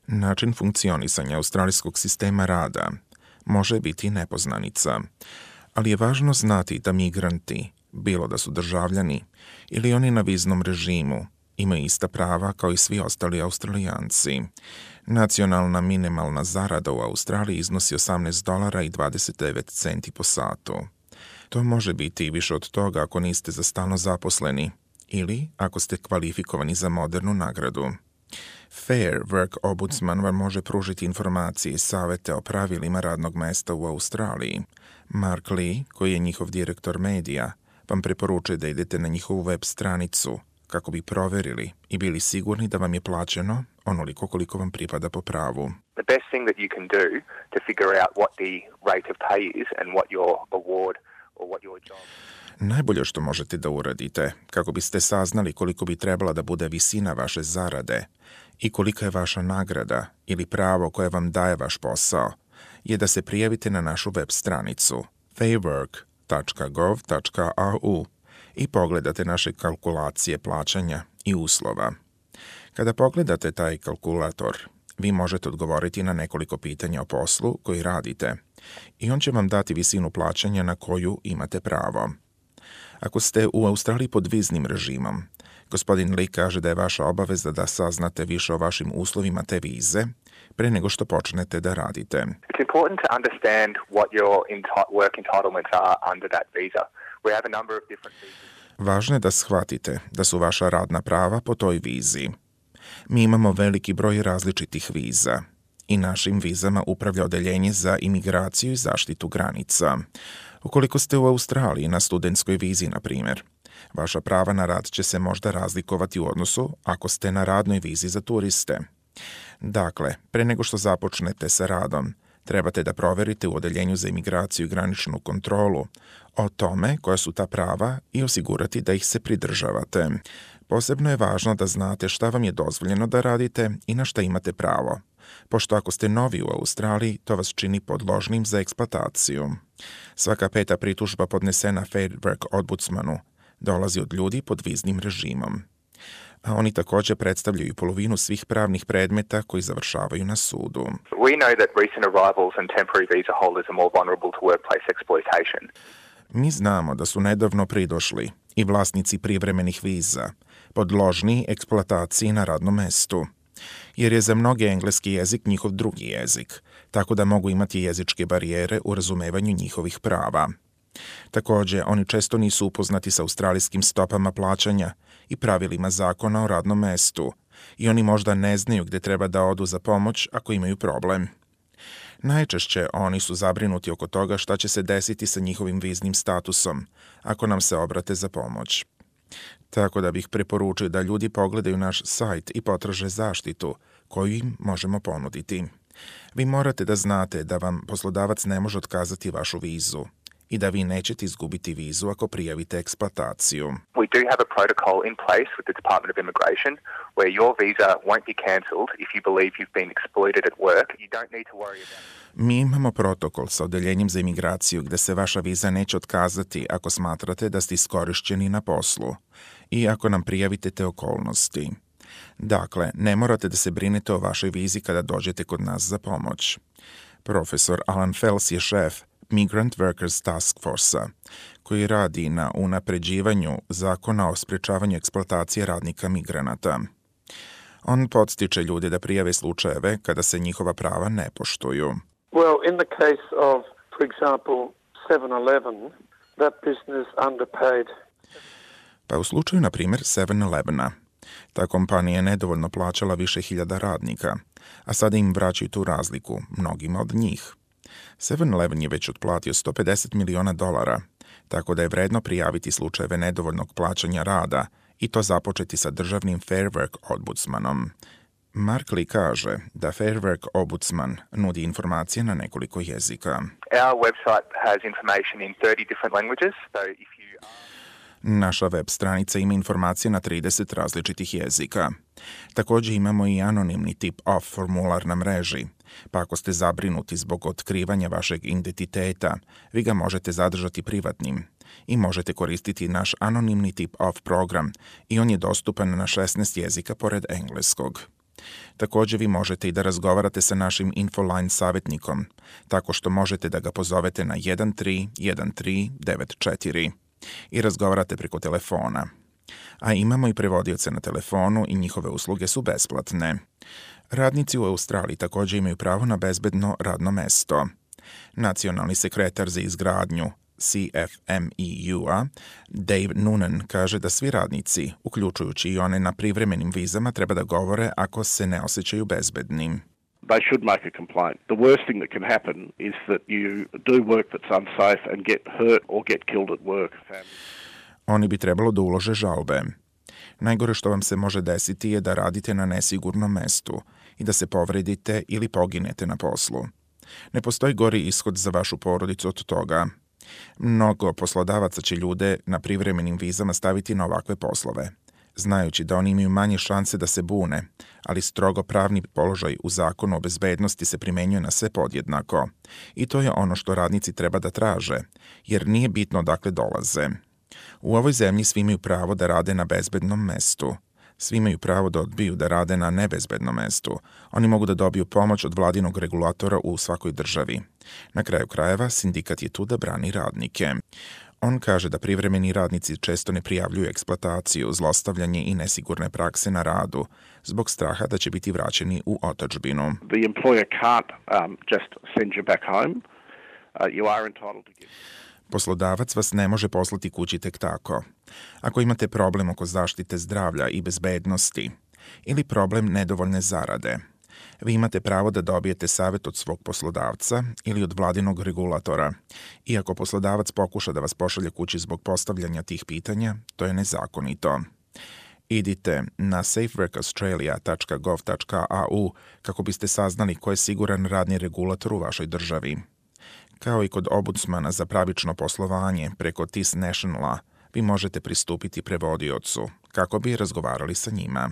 Način funkcionisanja australijskog sistema rada može biti nepoznanica, ali je važno znati da migranti, bilo da su državljani ili oni na viznom režimu, imaju ista prava kao i svi ostali Australijanci. Nacionalna minimalna zarada u Australiji iznosi $18.29 po satu. To može biti i više od toga ako niste za stalno zaposleni ili ako ste kvalifikovani za modernu nagradu. Fair Work Ombudsman vam može pružiti informacije i savete o pravilima radnog mesta u Australiji. Mark Lee, koji je njihov direktor medija, vam preporučuje da idete na njihovu web stranicu kako bi proverili i bili sigurni da vam je plaćeno onoliko koliko vam pripada po pravu. The best thing that you can do to figure out what the rate of pay is and what your award or what your job. Najbolje što možete da uradite, kako biste saznali koliko bi trebala da bude visina vaše zarade i kolika je vaša nagrada ili pravo koje vam daje vaš posao, je da se prijavite na našu web stranicu fairwork.gov.au i pogledate naše kalkulacije plaćanja i uslova. Kada pogledate taj kalkulator, vi možete odgovoriti na nekoliko pitanja o poslu koji radite i on će vam dati visinu plaćanja na koju imate pravo. Ako ste u Australiji pod viznim režimom, gospodin Lee kaže da je vaša obaveza da saznate više o vašim uslovima te vize pre nego što počnete da radite. It's important to understand what your work entitlements are under that visa. We have a number of different visas. Važno je da shvatite da su vaša radna prava po toj vizi. Mi imamo veliki broj različitih viza i našim vizama upravlja odeljenje za imigraciju i zaštitu granica. Ukoliko ste u Australiji na studentskoj vizi, na primjer, vaša prava na rad će se možda razlikovati u odnosu ako ste na radnoj vizi za turiste. Dakle, pre nego što započnete sa radom, trebate da proverite u odeljenju za imigraciju i graničnu kontrolu o tome koja su ta prava i osigurati da ih se pridržavate. Posebno je važno da znate šta vam je dozvoljeno da radite i na šta imate pravo, pošto ako ste novi u Australiji, to vas čini podložnim za eksploataciju. Svaka 5. pritužba podnesena Fair Work Ombudsmanu dolazi od ljudi pod viznim režimom. A oni također predstavljaju polovinu svih pravnih predmeta koji završavaju na sudu. We know that recent arrivals and temporary visa holders are more vulnerable to workplace exploitation. Mi znamo da su nedavno pridošli i vlasnici privremenih viza podložni eksploataciji na radnom mestu, jer je za mnoge engleski jezik njihov drugi jezik, tako da mogu imati jezičke barijere u razumevanju njihovih prava. Također, oni često nisu upoznati sa australijskim stopama plaćanja i pravilima zakona o radnom mestu i oni možda ne znaju gde treba da odu za pomoć ako imaju problem. Najčešće oni su zabrinuti oko toga šta će se desiti sa njihovim viznim statusom ako nam se obrate za pomoć. Tako da bih preporučio da ljudi pogledaju naš sajt i potraže zaštitu koju im možemo ponuditi. Vi morate da znate da vam poslodavac ne može otkazati vašu vizu i da vi nećete izgubiti vizu ako prijavite eksploataciju. We do have a protocol in place with the Department of Immigration where your visa won't be cancelled if you believe you've been exploited at work. You don't need to worry about it. Mi imamo protokol sa odeljenjem za imigraciju gde se vaša viza neće otkazati ako smatrate da ste iskorišćeni na poslu i ako nam prijavite te okolnosti. Dakle, ne morate da se brinete o vašoj vizi kada dođete kod nas za pomoć. Profesor Alan Fels je šef Migrant Workers Task Force-a, koji radi na unapređivanju zakona o sprečavanju eksploatacije radnika migranata. On podstiče ljude da prijave slučajeve kada se njihova prava ne poštuju. Well, in the case of, for example, 7-Eleven, that business underpaid. Pa u slučaju, na primjer, 7-Elevena, ta kompanija je nedovoljno plaćala više hiljada radnika, a sada im vraćaju tu razliku, mnogima od njih. 7-Eleven je već otplatio $150 miliona, tako da je vredno prijaviti slučajeve nedovoljnog plaćanja rada i to započeti sa državnim Fair Work Ombudsmanom. Mark Lee kaže da Fair Work Ombudsman nudi informacije na nekoliko jezika. Our website has information in 30 different languages, so if you Naša web stranica ima informacije na 30 različitih jezika. Također imamo i anonimni tip-off formular na mreži, pa ako ste zabrinuti zbog otkrivanja vašeg identiteta, vi ga možete zadržati privatnim i možete koristiti naš anonimni tip-off program i on je dostupan na 16 jezika pored engleskog. Također vi možete i da razgovarate sa našim Infoline savjetnikom, tako što možete da ga pozovete na 131394 i razgovarate preko telefona. A imamo i prevodioce na telefonu i njihove usluge su besplatne. Radnici u Australiji također imaju pravo na bezbedno radno mesto. Nacionalni sekretar za izgradnju CFMEU-a, Dave Noonan, kaže da svi radnici, uključujući i one na privremenim vizama, treba da govore ako se ne osjećaju bezbednim. They should make a complaint. The worst thing that can happen is that you do work that's unsafe and get hurt or get killed at work. Oni bi trebalo da ulože žalbe. Najgore što vam se može desiti je da radite na nesigurnom mestu i da se povredite ili poginete na poslu. Ne postoji gori ishod za vašu porodicu od toga. Mnogo poslodavaca će ljude na privremenim vizama staviti na ovakve poslove, znajući da oni imaju manje šanse da se bune, ali strogo pravni položaj u zakonu o bezbednosti se primenjuje na sve podjednako. I to je ono što radnici treba da traže, jer nije bitno odakle dolaze. U ovoj zemlji svi imaju pravo da rade na bezbednom mestu. Svi imaju pravo da odbiju da rade na nebezbednom mestu. Oni mogu da dobiju pomoć od vladinog regulatora u svakoj državi. Na kraju krajeva, sindikat je tu da brani radnike. On kaže da privremeni radnici često ne prijavljuju eksploataciju, zlostavljanje i nesigurne prakse na radu, zbog straha da će biti vraćeni u otadžbinu. The employer can't just send you back home. You are entitled to give. Poslodavac vas ne može poslati kući tek tako. Ako imate problem oko zaštite zdravlja i bezbednosti ili problem nedovoljne zarade, vi imate pravo da dobijete savjet od svog poslodavca ili od vladinog regulatora. I ako poslodavac pokuša da vas pošalje kući zbog postavljanja tih pitanja, to je nezakonito. Idite na safeworkaustralia.gov.au kako biste saznali ko je siguran radni regulator u vašoj državi. Kao i kod ombudsmana za pravično poslovanje preko TIS Nationala, vi možete pristupiti prevodiocu kako bi razgovarali sa njima.